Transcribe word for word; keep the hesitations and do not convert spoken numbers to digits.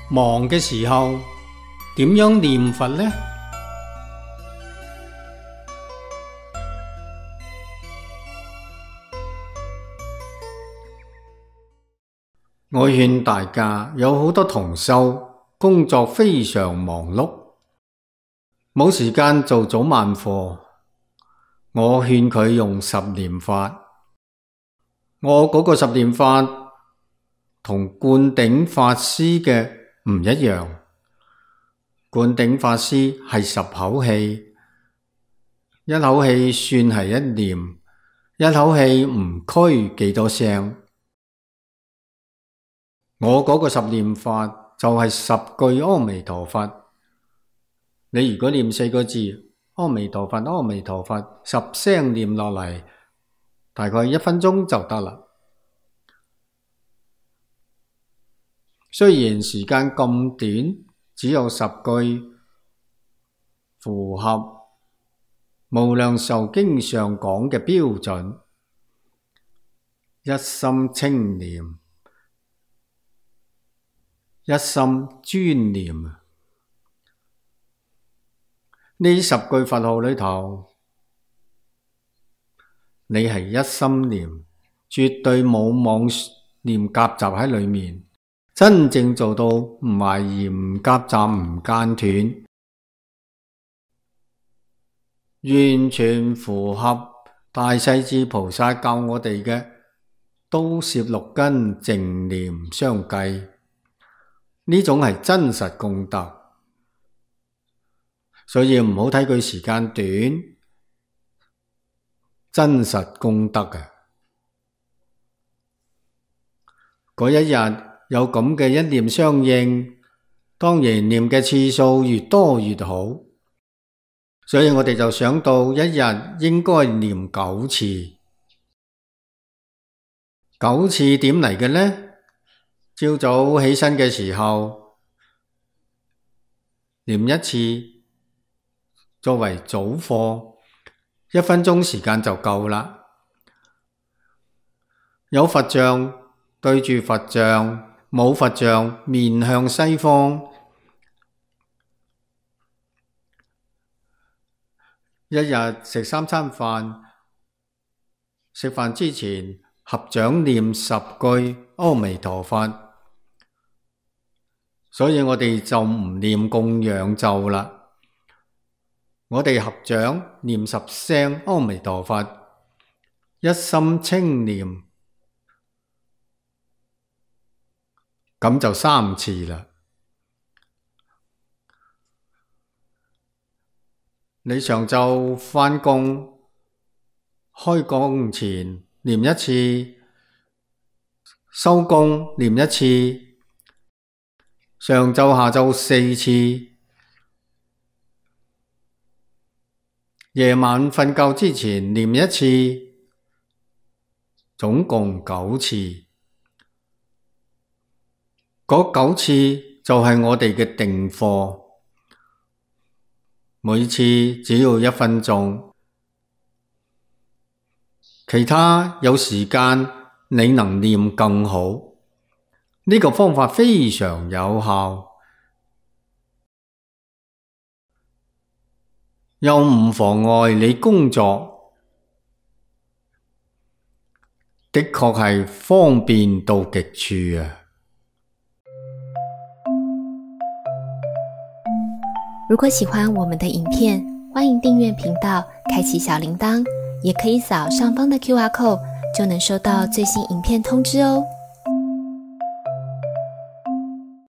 忙嘅時候點樣念佛呢？我勸大家，有好多同修工作非常忙碌，冇時間做早晚課，我勸佢用十念法。我嗰個十念法同灌頂法師嘅唔一樣，灌頂法師係十口氣，一口氣算係一念，一口氣唔拘幾多聲。我嗰個十念法就係十句阿彌陀佛。你如果念四個字阿彌陀佛，阿彌陀佛，十聲念落嚟，大概一分鐘就得啦。雖然時間咁短，只有十句，符合無量壽經上講嘅標準，一心清念，一心專念。呢十句佛號裏頭，你係一心念，絕對冇妄念夾雜喺裏面，真正做到唔懷疑、唔夾雜、唔間斷，完全符合大勢至菩薩教我哋嘅刀攝六根，淨念相繼。呢種係真實功德。所以唔好睇佢時間短，真實功德嘅。嗰一日有咁嘅一念相應，當然念嘅次數越多越好。所以我哋就想到一日應該念九次。九次點嚟嘅呢？朝早起身嘅時候念一次，作為早課，一分鐘時間就夠啦。有佛像對住佛像，冇佛像面向西方。一日食三餐飯，食飯之前合掌念十句阿彌陀佛。所以我哋就唔念供養咒啦。我哋合掌念十聲阿彌陀佛，一心清念，咁就三次啦。你上晝返工，開工前念一次，收工念一次，上晝下晝四次，夜晚瞓覺之前念一次，總共九次。嗰九次就係我哋嘅定課，每次只要一分鐘。其他有時間你能念更好，呢個方法非常有效，又唔妨礙你工作，的確係方便到極處啊！如果喜歡我們的影片，歡迎訂閱頻道，開啟小鈴鐺，也可以掃上方的 Q R code，就能收到最新影片通知哦。